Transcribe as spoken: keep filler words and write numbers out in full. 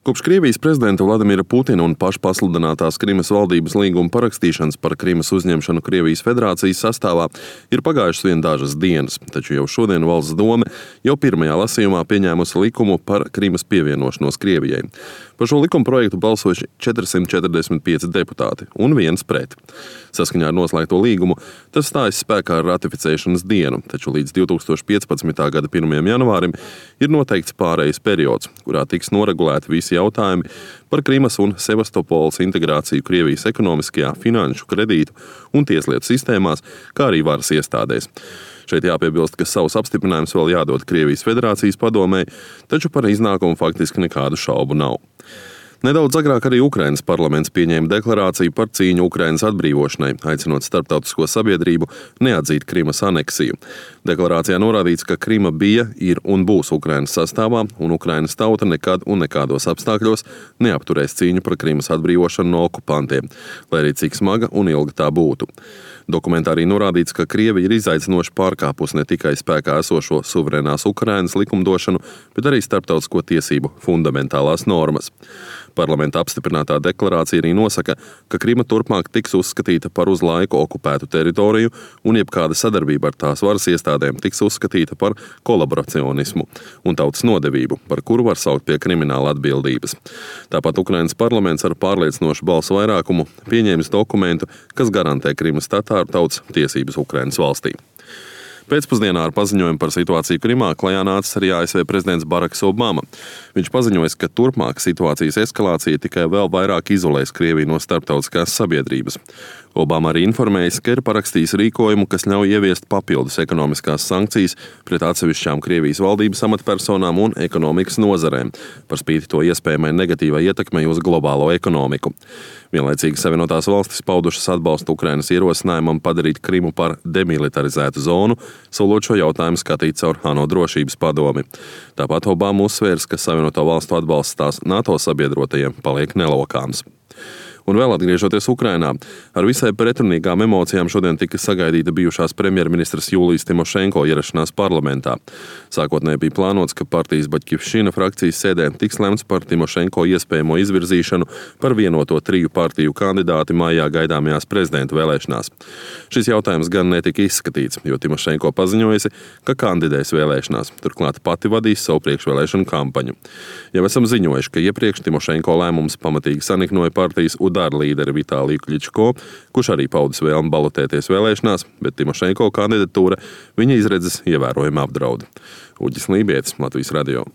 Kopš Krievijas prezidenta Vladimira Putina un pašpasludinātās Krimas valdības līguma parakstīšanas par Krimas uzņemšanu Krievijas federācijas sastāvā ir pagājušas vien dažas dienas, taču jau šodien Valsts Dome jau pirmajā lasījumā pieņēmusi likumu par Krimas pievienošanos Krievijai. Par šo likuma projektu balsojuši četrsimt četrdesmit pieci deputāti un viens pret. Saskaņā ar noslēgto līgumu tas stājas spēkā ar ratificēšanas dienu, taču līdz divi tūkstoši piecpadsmitā gada pirmajam janvārim ir noteikts pārejas periods, kurā tiks noregulēti visi jautājumi par Krimas un Sevastopoles integrāciju Krievijas ekonomiskajā, finanšu, kredītu un tieslietu sistēmās, kā arī varas iestādēs. Šeit jāpiebilst, ka savus apstiprinājumus vēl jādod Krievijas federācijas padomei, taču par iznākumu faktiski nekādu šaubu nav. Nedaudz agrāk arī Ukrainas parlaments pieņēma deklarāciju par cīņu Ukrainas atbrīvošanai, aicinot starptautisko sabiedrību neatzīt Krimas aneksiju. Deklarācijā norādīts, ka Krima bija, ir un būs Ukrainas sastāvā, un Ukrainas tauta nekad un nekādos apstākļos neapturēs cīņu par Krimas atbrīvošanu no okupantiem, lai arī cik smaga un ilga tā būtu. Dokumentā arī norādīts, ka Krievija ir izaicinoši pārkāpusi ne tikai spēkā esošo suverēnās Ukrainas likumdošanu, bet arī starptautisko tiesību fundamentālās normas. Parlamenta apstiprinātā deklarācija arī nosaka, ka Krima turpmāk tiks uzskatīta par uz laiku okupētu teritoriju un jebkāda sadarbība ar tās varas iestādēm tiks uzskatīta par kolaboracionismu un tautas nodevību, par kuru var saukt pie krimināla atbildības. Tāpat Ukrainas parlaments ar pārliecinošu balsu vairākumu pieņēmis dokumentu, kas garantē Krimas tatāru tautas tiesības Ukrainas valstī. Pēcpusdienā ar paziņojumu par situāciju Krimā klajā nācis arī A S V prezidents Baraks Obama. Viņš paziņoja, ka turpmāk situācijas eskalācija tikai vēl vairāk izolēs Krieviju no starptautiskās sabiedrības. Obama arī informējis, ka ir parakstījis rīkojumu, kas ļauj ieviest papildus ekonomiskās sankcijas pret atsevišķām Krievijas valdības amatpersonām un ekonomikas nozarēm, par spīti to iespējamai negatīvai ietekmei uz globālo ekonomiku. Vienlaicīgi Savienotās valstis paudušas atbalstu Ukrainas ierosinājumam padarīt Krimu par demilitarizētu zonu, solot šo jautājumu skatīt caur ANO drošības padomi. Tāpat Obama uzsvērs, ka Savienoto valstu atbalsts tās NATO sabiedrotajiem paliek nelokāms. Un vēl atgriežoties Ukrainā, ar visai pretrunīgām emocijām šodien tika sagaidīta bijušās premjerministras Jūlijas Timošenko ierašanās parlamentā. Sākotnēji bija plānots, ka partijas Baļķivšina frakcijas sēdē tiks lemts par Timošenko iespējamo izvirzīšanu par vienoto triju partiju kandidāti maijā gaidāmajās prezidenta vēlēšanās. Šis jautājums gan netika izskatīts, jo Timošenko paziņojusi, ka kandidēs vēlēšanās, turklāt pati vadīs savu priekšvēlēšanu kampaņu. Jau esam ziņojuši, ka iepriekš Timošenko lēmums pamatīgi saniknoja partijas Udara līderi Vitāliju Kļičko, kurš arī paudis vēlmi balotēties vēlēšanās, bet Timošenko kandidatūra viņa izredzes ievērojami apdraud. Uģis Lībietis, Latvijas radio.